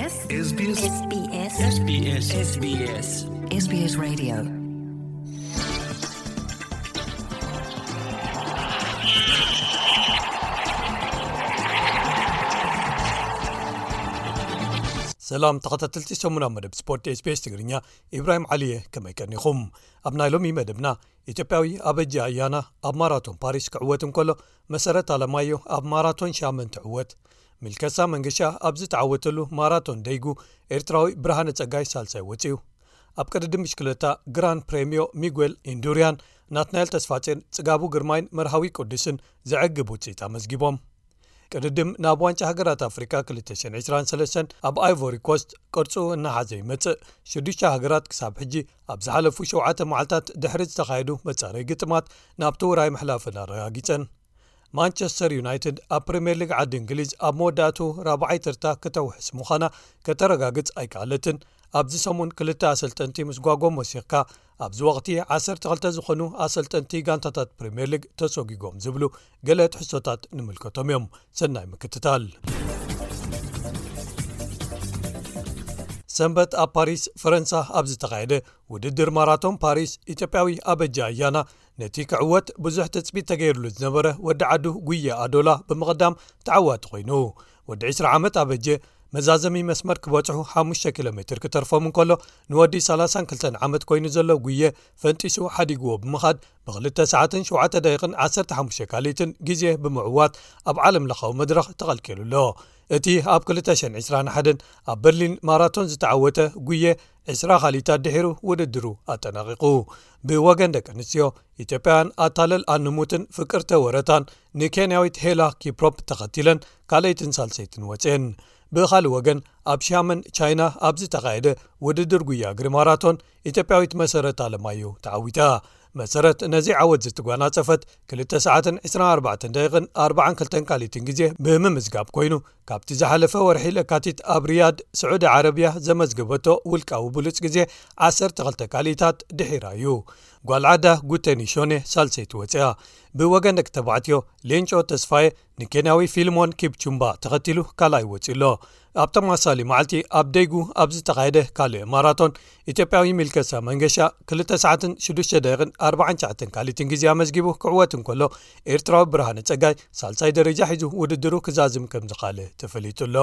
SBS SBS SBS SBS Radio. ሰላም ተኸታተልቲ ሰሙናዊ መደብ ስፖርት SBS ትግርኛ፣ ኢብራሂም ዓሊየ፣ ከመይ ቀኒኹም? ኣብ ናይ ሎሚ መደብና፣ ኢትዮጵያዊ ኣበጀ ኣያና ኣብ ማራቶን ፓሪስ ክዕወት እንከሎ፣ መሰረት ኣለማዮ ኣብ ማራቶን ሻመን ትዕወት። ሚልከሳ መንገሻ ኣብ ዝተዓወተሉ ማራቶን ደይጉ፣ ኤርትራዊ ብርሃነ ጸጋይ ሳልሳይ ወጺኡ። ኣብ ቅድድም ብሽክለታ ግራን ፕሬምዮ፣ ሚጉኤል ኢንዱሪያን ናትናኤል ተስፋጼን ጽጋቡ ግርማይን መርሃዊ ቅዱስን ዘዕግብ ውጽኢት ኣመዝጊቦም። ቅድድም ናብ ዋንጫ ሃገራት ኣፍሪካ ክልተ ሽሕን ዕስራን ሰለስተን ኣብ ኣይቮሪ ኮስት ቅርጹ እናሓዘ ይመጽእ። ሽዱሽተ ሃገራት ክሳብ ሕጂ ኣብ ዝሓለፉ ሸውዓተ መዓልታት ድሕሪ ዝተኻየዱ መጻረይ ግጥማት ናብቲ ውራይ ምሕላፈን ኣረጋጊጸን። ማንቸስተር ዩናይትድ ኣብ ፕሪምየር ሊግ ዓዲ እንግሊዝ ኣብ መወዳእቱ ራብዓይ ተርታ ክተውሕስ ምዃና ከተረጋግጽ ኣይከኣለትን። ኣብዚ ሰሙን ክልተ ኣሰልጠንቲ ምስ ጓጎም ወሲኽካ፣ ኣብዚ ወቕቲ ዓሰርተ ክልተ ዝኾኑ ኣሰልጠንቲ ጋንታታት ፕሪምየር ሊግ ተሰጒጎም ዝብሉ ገለ ትሕዝቶታት ንምልከቶም እዮም። ሰናይ ምክትታል። ሰንበት ኣብ ፓሪስ ፈረንሳ ኣብ ዝተኻየደ ውድድር ማራቶን ፓሪስ፣ ኢትዮጵያዊ ኣበጀ ኣያና ነቲ ክዕወት ብዙሕ ትጽቢት ተገይርሉ ዝነበረ ወዲ ዓዱ ጉየ ኣዶላ ብምቕዳም ተዓዋቲ ኮይኑ። ወዲ ዕስራ ዓመት ኣበጀ መዛዘሚ መስመር ክበጽሑ ሓሙሽተ ኪሎ ሜትር ክተርፎም እንከሎ፣ ንወዲ ሰላሳን ክልተን ዓመት ኮይኑ ዘሎ ጉየ ፈንጢሱ ሓዲግዎ ብምኻድ፣ ብክልተ ሰዓትን ሸውዓተ ደቂቕን ዓሰርተ ሓሙሽተ ካልኢትን ግዜ ብምዕዋት ኣብ ዓለም ለኻዊ መድረኽ ተቐልቂሉ ኣሎ። እቲ ኣብ ክልተ ሽሕን ዕስራን ሓደን ኣብ በርሊን ማራቶን ዝተዓወተ ጉየ፣ ዕስራ ካልኢታት ድሒሩ ውድድሩ ኣጠናቒቑ። ብወገን ደቂ ኣንስትዮ፣ ኢትዮጵያውያን ኣታለል ኣንሙትን ፍቅርተ ወረታን ንኬንያዊት ሄላ ኪፕሮፕ ተኸቲለን ካልኣይትን ሳልሰይትን ወፅየን። ብኻልእ ወገን፣ ኣብ ሻመን ቻይና ኣብ ዝተኻየደ ውድድር ጉያ እግሪ ማራቶን፣ ኢትዮጵያዊት መሰረት ኣለማየሁ ተዓዊታ። መሰረት ነዚ ዓወት ዝተጓናጸፈት ክልተ ሰዓትን ዕስራን ኣርባዕተን ደቂቕን ኣርባዓን ክልተን ካልኢትን ግዜ ብምምዝጋብ ኮይኑ፣ ካብቲ ዝሓለፈ ወርሒ ለካቲት ኣብ ሪያድ ስዑዲ ዓረብያ ዘመዝገበቶ ውልቃዊ ብሉጽ ግዜ ዓሰርተ ክልተ ካልኢታት ድሒራ እዩ። ጓል ዓዳ ጉተኒ ሾኔ ሳልሰይቲ ወጺኣ። ብወገን ደቂ ተባዕትዮ፣ ሌንጮ ተስፋዬ ንኬንያዊ ፊልሞን ኪፕቹምባ ተኸቲሉ ካልኣይ ወጺኡ ኣሎ። ኣብ ተመሳሳሊ መዓልቲ ኣብ ደይጉ ኣብ ዝተኻየደ ካልእ ማራቶን፣ ኢትዮጵያዊ ሚልከሳ መንገሻ ክልተ ሰዓትን ሽዱሽተ ደቂቕን ኣርባዓን ትሽዓተን ካልኢትን ግዜ ኣመዝጊቡ ክዕወት እንከሎ፣ ኤርትራዊ ብርሃነ ጸጋይ ሳልሳይ ደረጃ ሒዙ ውድድሩ ክዛዝም ከም ዝኻለ ተፈሊጡ ኣሎ።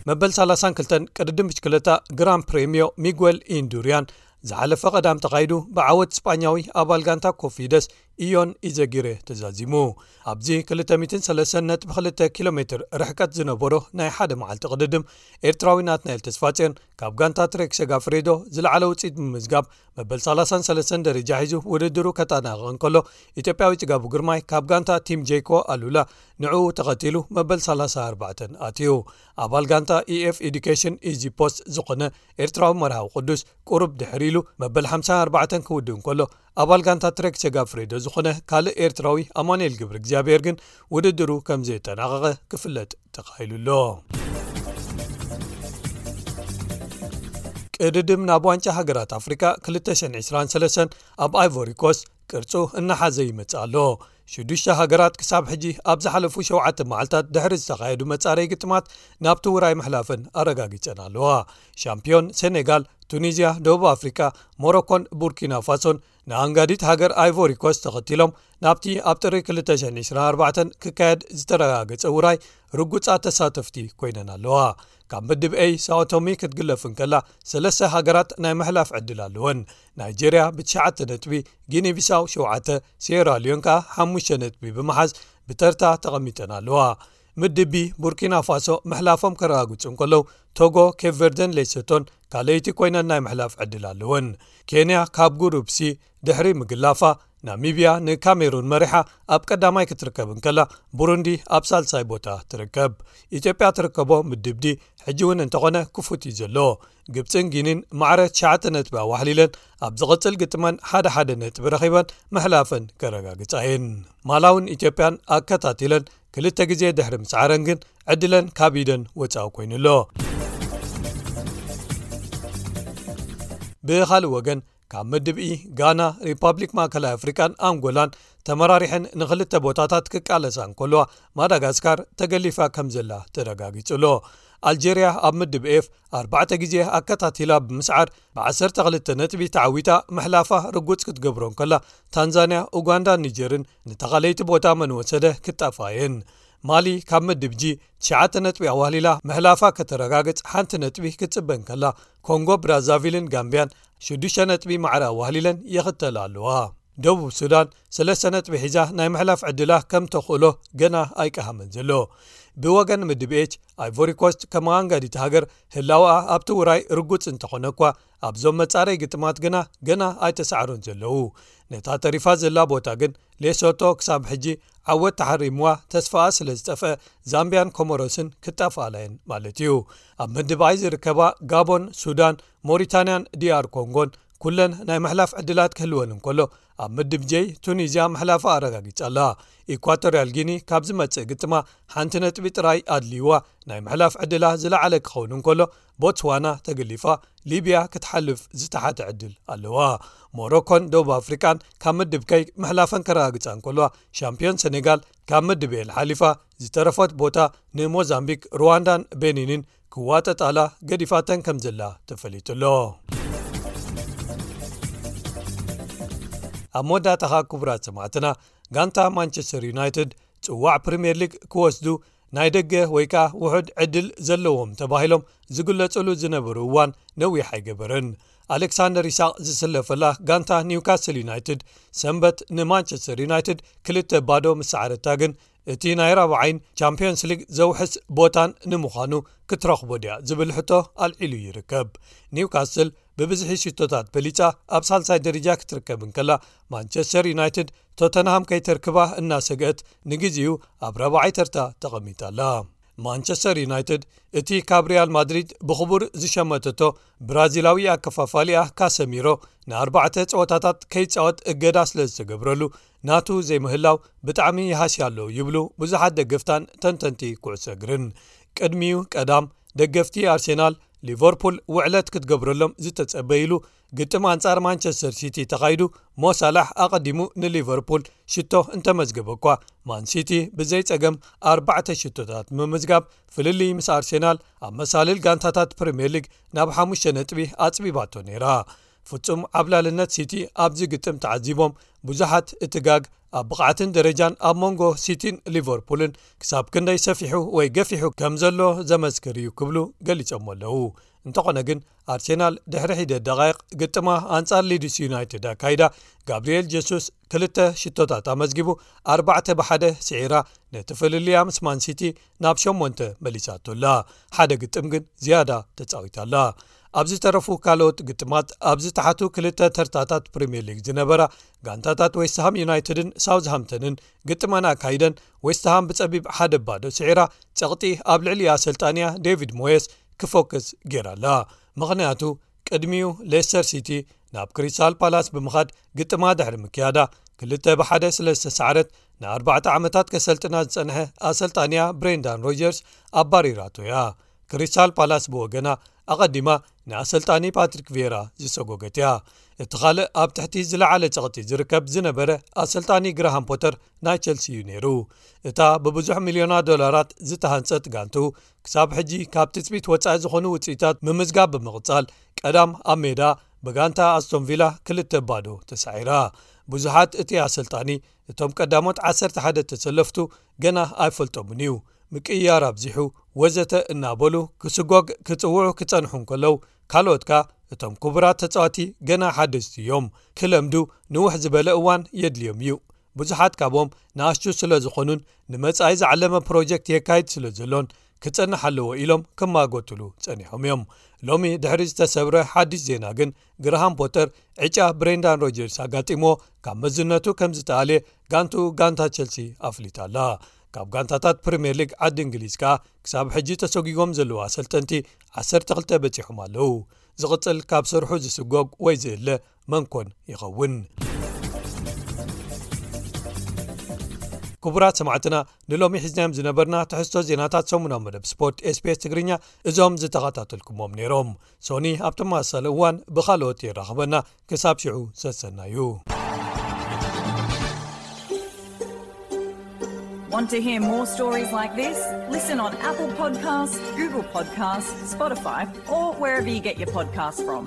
መበል ሰላሳን ክልተን ቅድድም ብሽክለታ ግራን ፕሬምዮ ሚጉኤል ኢንዱሪያን ዝሓለፈ ቀዳም ተኻይዱ ብዓወት ስጳኛዊ ኣባል ጋንታ ኮፊደስ ኢዮን ኢዘጊሬ ተዛዚሙ። ኣብዚ ክልተ ሚእትን ሰለስተን ነጥቢ ክልተ ኪሎ ሜትር ርሕቀት ዝነበሮ ናይ ሓደ መዓልቲ ቅድድም፣ ኤርትራዊ ናትናኤል ተስፋጽዮን ካብ ጋንታ ትሬክ ሰጋፍሬዶ ዝለዓለ ውጽኢት ብምምዝጋብ፣ መበል ሰላሳን ሰለስተን ደረጃ ሒዙ ውድድሩ ከጠናቕቕ እንከሎ፣ ኢትዮጵያዊ ጽጋቡ ግርማይ ካብ ጋንታ ቲም ጄኮ ኣሉላ ንዕኡ ተኸቲሉ መበል ሰላሳ ኣርባዕተን ኣትዩ። ኣባል ጋንታ ኢኤፍ ኤዱኬሽን ኢዚ ፖስት ዝኾነ ኤርትራዊ መርሃዊ ቅዱስ ቁሩብ ድሕር ኢሉ መበል ሓምሳን ኣርባዕተን ክውድእ እንከሎ፣ ኣባል ጋንታ ትሬክ ሰጋፍሬዶ ዝኾነ ካልእ ኤርትራዊ ኣማኑኤል ገብረ እግዚኣብሔር ግን ውድድሩ ከም ዘየጠናቐቐ ክፍለጥ ተኻኢሉ ኣሎ። ቅድድም ናብ ዋንጫ ሃገራት ኣፍሪካ ክልተ ሽሕን ዕስራን ሰለስተን ኣብ ኣይቮሪ ኮስት ቅርጹ እናሓዘ ይመጽእ ኣሎ። ሽዱሽተ ሃገራት ክሳብ ሕጂ ኣብ ዝሓለፉ ሸውዓተ መዓልታት ድሕሪ ዝተኻየዱ መጻረዪ ግጥማት ናብቲ ውራይ ምሕላፈን ኣረጋጊጸን ኣለዋ። ሻምፒዮን ሴኔጋል፣ ቱኒዝያ፣ ደቡብ ኣፍሪካ፣ ሞሮኮን ቡርኪና ፋሶን ንኣንጋዲት ሃገር ኣይቮሪ ኮስት ተኸቲሎም ናብቲ ኣብ ጥሪ ክልተ ሽሕን ዕስራን ኣርባዕተን ክካየድ ዝተረጋገጸ ውራይ ርጉጻት ተሳተፍቲ ኮይነን ኣለዋ። ካብ ምድብ ኤይ፣ ሳኦ ቶሚ ክትግለፍ እንከላ፣ ሰለስተ ሃገራት ናይ ምሕላፍ ዕድል ኣለወን። ናይጄርያ ብትሽዓተ ነጥቢ፣ ጊኒ ቢሳው ሸውዓተ፣ ሴራ ሊዮን ከኣ ሓሙሽተ ነጥቢ ብምሓዝ ብተርታ ተቐሚጠን ኣለዋ። ምድብ ቢ፣ ቡርኪና ፋሶ ምሕላፎም ከረጋግጹ እንከለዉ፣ ቶጎ፣ ኬፕ ቨርደን ሌሶቶን ካልኣይቲ ኮይነን ናይ ምሕላፍ ዕድል ኣለወን። ኬንያ ካብ ጉሩፕ ሲ ድሕሪ ምግላፋ፣ ናሚብያ ንካሜሩን መሪሓ ኣብ ቀዳማይ ክትርከብ እንከላ፣ ቡሩንዲ ኣብ ሳልሳይ ቦታ ትርከብ። ኢትዮጵያ ትርከቦ ምድብ ዲ ሕጂ እውን እንተኾነ ክፉት እዩ ዘሎ። ግብፅን ጊኒን ማዕረ ትሽዓተ ነጥቢ ኣዋሕሊለን ኣብ ዝቕፅል ግጥመን ሓደ ሓደ ነጥቢ ረኺበን ምሕላፈን ከረጋግፃ እየን። ማላውን ኢትዮጵያን ኣከታቲለን ክልተ ግዜ ድሕሪ ምስዓረን ግን ዕድለን ካብ ኢደን ወፃኢ ኮይኑ ኣሎ። ብኻልእ ወገን፣ ካብ ምድብ ኢ፣ ጋና፣ ሪፓብሊክ ማእከላይ ኣፍሪቃን ኣንጎላን ተመራሪሐን ንኽልተ ቦታታት ክቃለሳ እንከለዋ፣ ማዳጋስካር ተገሊፋ ከም ዘላ ተረጋጊጹ ኣሎ። ኣልጀርያ ኣብ ምድብ ኤፍ ኣርባዕተ ግዜ ኣከታቲላ ብምስዓር ብ12 ነጥቢ ተዓዊታ ምሕላፋ ርጉጽ ክትገብሮ እንከላ፣ ታንዛንያ፣ ኡጋንዳን ኒጀርን ንተኻለይቲ ቦታ መን ወሰደ ክጣፋ እየን። ማሊ ካብ ምድብ ጂ ትሽዓተ ነጥቢ ኣዋህሊላ ምሕላፋ ከተረጋግጽ ሓንቲ ነጥቢ ክትጽበ እንከላ፣ ኮንጎ ብራዛቪልን ጋምቢያን ሽዱሽተ ነጥቢ ማዕረ ኣዋህሊለን ይኽተላ ኣለዋ። ደቡብ ሱዳን ሰለስተ ነጥቢ ሒዛ ናይ ምሕላፍ ዕድላ ከም ተኽእሎ ገና ኣይቀሃመን ዘሎ። ብወገን ምድብ ኤች፣ ኣይቮሪ ኮስት ከም ኣንጋዲት ሃገር ህላወኣ ኣብቲ ውራይ ርጉጽ እንተኾነ እኳ፣ ኣብዞም መጻረይ ግጥማት ግና ገና ኣይተሳዕሩን ዘለዉ። ነታ ተሪፋ ዘላ ቦታ ግን ሌሶቶ ክሳብ ሕጂ ዓወት ተሓሪምዋ ተስፋኣ ስለ ዝጠፍአ፣ ዛምቢያን ኮሞሮስን ክጣፍኣላ እየን ማለት እዩ። ኣብ ምድብ ኣይ ዝርከባ ጋቦን፣ ሱዳን፣ ሞሪታንያን ዲኣር ኮንጎን ኩለን ናይ ምሕላፍ ዕድላት ክህልወን እንከሎ፣ ኣብ ምድብ ጀይ ቱኒዝያ ምሕላፋ ኣረጋጊጻ ኣላ። ኢኳቶርያል ጊኒ ካብ ዝመጽእ ግጥማ ሓንቲ ነጥቢ ጥራይ ኣድልይዋ ናይ ምሕላፍ ዕድላ ዝለዓለ ክኸውን እንከሎ፣ ቦትስዋና ተገሊፋ ሊብያ ክትሓልፍ ዝተሓተ ዕድል ኣለዋ። ሞሮኮን ደቡብ ኣፍሪቃን ካብ ምድብ ከይ ምሕላፈን ከረጋግጻ እንከለዋ፣ ሻምፒዮን ሴኔጋል ካብ ምድብ ኤል ሓሊፋ ዝተረፈት ቦታ ንሞዛምቢክ፣ ሩዋንዳን ቤኒንን ክዋጠጣላ ገዲፋተን ከም ዘላ ተፈሊጡ ኣሎ። ኣብ መወዳእታኻ ክቡራት ሰማዕትና፣ ጋንታ ማንቸስተር ዩናይትድ ጽዋዕ ፕሪምየር ሊግ ክወስዱ ናይ ደገ ወይ ከኣ ውሑድ ዕድል ዘለዎም ተባሂሎም ዝግለጽሉ ዝነበሩ እዋን ነዊሕ ኣይገበረን። ኣሌክሳንደር ኢሳቕ ዝስለፈላ ጋንታ ኒውካስል ዩናይትድ ሰንበት ንማንቸስተር ዩናይትድ ክልተ ባዶ ምስ ሰዓረታ ግን፣ እቲ ናይ ራብዓይን ቻምፒዮንስ ሊግ ዘውሕስ ቦታን ንምዃኑ ክትረኽቦ ድያ ዝብል ሕቶ ኣልዒሉ ይርከብ። ኒውካስል ብብዝሒ ሽቶታት በሊጻ ኣብ ሳልሳይ ደረጃ ክትርከብ እንከላ፣ ማንቸስተር ዩናይትድ ቶተንሃም ከይተርክባ እናሰግአት ንግዜኡ ኣብ ራብዓይ ተርታ ተቐሚጣ ኣላ። ማንቸስተር ዩናይትድ እቲ ካብ ሪያል ማድሪድ ብኽቡር ዝሸመተቶ ብራዚላዊ ኣከፋፋሊኣ ካሰሚሮ ንኣርባዕተ ጸወታታት ከይጻወት እገዳ ስለ ዝተገብረሉ፣ ናቱ ዘይምህላው ብጣዕሚ ይሃስያ ኣሎ ይብሉ ብዙሓት ደገፍታን ተንተንቲ ኩዕሶ እግርን። ቅድሚኡ ቀዳም ደገፍቲ ኣርሴናል፣ ሊቨርፑል ውዕለት ክትገብረሎም ዝተጸበይሉ ግጥም ኣንጻር ማንቸስተር ሲቲ ተኻይዱ፣ ሞ ሳላሕ ኣቐዲሙ ንሊቨርፑል ሽቶ እንተመዝገበ እኳ፣ ማን ሲቲ ብዘይ ጸገም ኣርባዕተ ሽቶታት ብምምዝጋብ ፍልልይ ምስ ኣርሴናል ኣብ መሳልል ጋንታታት ፕሪምየር ሊግ ናብ ሓሙሽተ ነጥቢ ኣጽቢባቶ ነይራ። ፍጹም ዓብላልነት ሲቲ ኣብዚ ግጥም ተዓዚቦም ብዙሓት፣ እቲ ጋግ ኣብ ብቕዓትን ደረጃን ኣብ መንጎ ሲቲን ሊቨርፑልን ክሳብ ክንደይ ሰፊሑ ወይ ገፊሑ ከም ዘሎ ዘመስክር እዩ ክብሉ ገሊጾሞ ኣለዉ። እንተኾነ ግን፣ ኣርሴናል ድሕሪ ሒደት ደቓይቕ ግጥማ ኣንጻር ሊድስ ዩናይትድ ኣካይዳ፣ ጋብሪኤል ጀሱስ ክልተ ሽቶታት ኣመዝጊቡ፣ ኣርባዕተ ብሓደ ስዒራ፣ ነቲ ፍልልያ ምስ ማን ሲቲ ናብ ሸሞንተ መሊሳቶ ኣላ። ሓደ ግጥም ግን ዝያዳ ተጻዊታ ኣላ። ኣብ ዝተረፉ ካልኦት ግጥማት፣ ኣብ ዝተሓቱ ክልተ ተርታታት ፕሪምየር ሊግ ዝነበራ ጋንታታት ዌስትሃም ዩናይትድን ሳውዝሃምተንን ግጥመን ኣካይደን፣ ዌስትሃም ብጸቢብ ሓደ ባዶ ስዒራ፣ ጸቕጢ ኣብ ልዕሊ ኣሰልጣንያ ዴቪድ ሞየስ ክፎክስ ገይራ ኣላ። ምኽንያቱ፣ ቅድሚኡ ሌስተር ሲቲ ናብ ክሪስታል ፓላስ ብምኻድ ግጥማ ድሕሪ ምክያዳ፣ ክልተ ብሓደ ስለ ዝተሳዕረት፣ ንኣርባዕተ ዓመታት ከሰልጥና ዝጸንሐ ኣሰልጣንያ ብሬንዳን ሮጀርስ ኣባሪራቶ እያ። ክሪስታል ፓላስ ብወገና፣ ኣቐዲማ ንኣሰልጣኒ ፓትሪክ ቪየራ ዝሰጎገት እያ። እቲ ካልእ ኣብ ትሕቲ ዝለዓለ ጸቕጢ ዝርከብ ዝነበረ ኣሰልጣኒ ግራሃም ፖተር ናይ ቸልሲ እዩ ነይሩ። እታ ብብዙሕ ሚልዮናት ዶላራት ዝተሃንጸት ጋንቱ፣ ክሳብ ሕጂ ካብ ትጽቢት ወጻኢ ዝኾኑ ውጽኢታት ምምዝጋብ ብምቕጻል፣ ቀዳም ኣብ ሜዳ ብጋንታ ኣስቶን ቪላ ክልተ ባዶ ተሳዒራ። ብዙሓት እቲ ኣሰልጣኒ እቶም ቀዳሞት ዓሰርተ ሓደ ተሰለፍቱ ገና ኣይፈልጦምን እዩ፣ ምቅይያር ኣብዚሑ፣ ወዘተ እናበሉ ክስጎግ ክጽውዑ ክጸንሑ እንከለዉ፣ ካልኦት ከኣ እቶም ክቡራት ተጻወቲ ገና ሓደስቲ እዮም፣ ክለምዱ ንውሕ ዝበለ እዋን የድልዮም እዩ። ብዙሓት ካብኦም ንኣሽቱ ስለ ዝኾኑን ንመጻኢ ዝዓለመ ፕሮጀክት የካይድ ስለ ዘሎን ክጸንሕ ኣለዎ ኢሎም ክማጎትሉ ጸኒሖም እዮም። ሎሚ ድሕሪ ዝተሰብረ ሓድሽ ዜና ግን፣ ግርሃም ፖተር ዕጫ ብሬንዳን ሮጀርስ ኣጋጢምዎ ካብ መዝነቱ ከም ዝተኣልየ ጋንቱ ጋንታ ቸልሲ ኣፍሊጣ ኣላ። ካብ ጋንታታት ፕሪምየር ሊግ ዓዲ እንግሊዝ ከኣ ክሳብ ሕጂ ተሰጒጎም ዘለዉ ኣሰልጠንቲ ዓሰርተ ክልተ በጺሖም ኣለዉ። ዝቕጽል ካብ ስርሑ ዝስጎግ ወይ ዝእለ መን ኮን ይኸውን? ክቡራት ሰማዕትና፣ ንሎሚ ሒዝናዮም ዝነበርና ትሕዝቶ ዜናታት ሰሙናዊ መደብ ስፖርት ኤስቢኤስ ትግርኛ እዞም ዝተኸታተልኩሞም ነይሮም። ሶኒ ኣብ ተመሳሳሊ እዋን ብኻልኦት የራኽበና። ክሳብ ሽዑ ሰሰናዩ። Want to hear more stories like this? Listen on Apple Podcasts, Google Podcasts, Spotify, or wherever you get your podcasts from.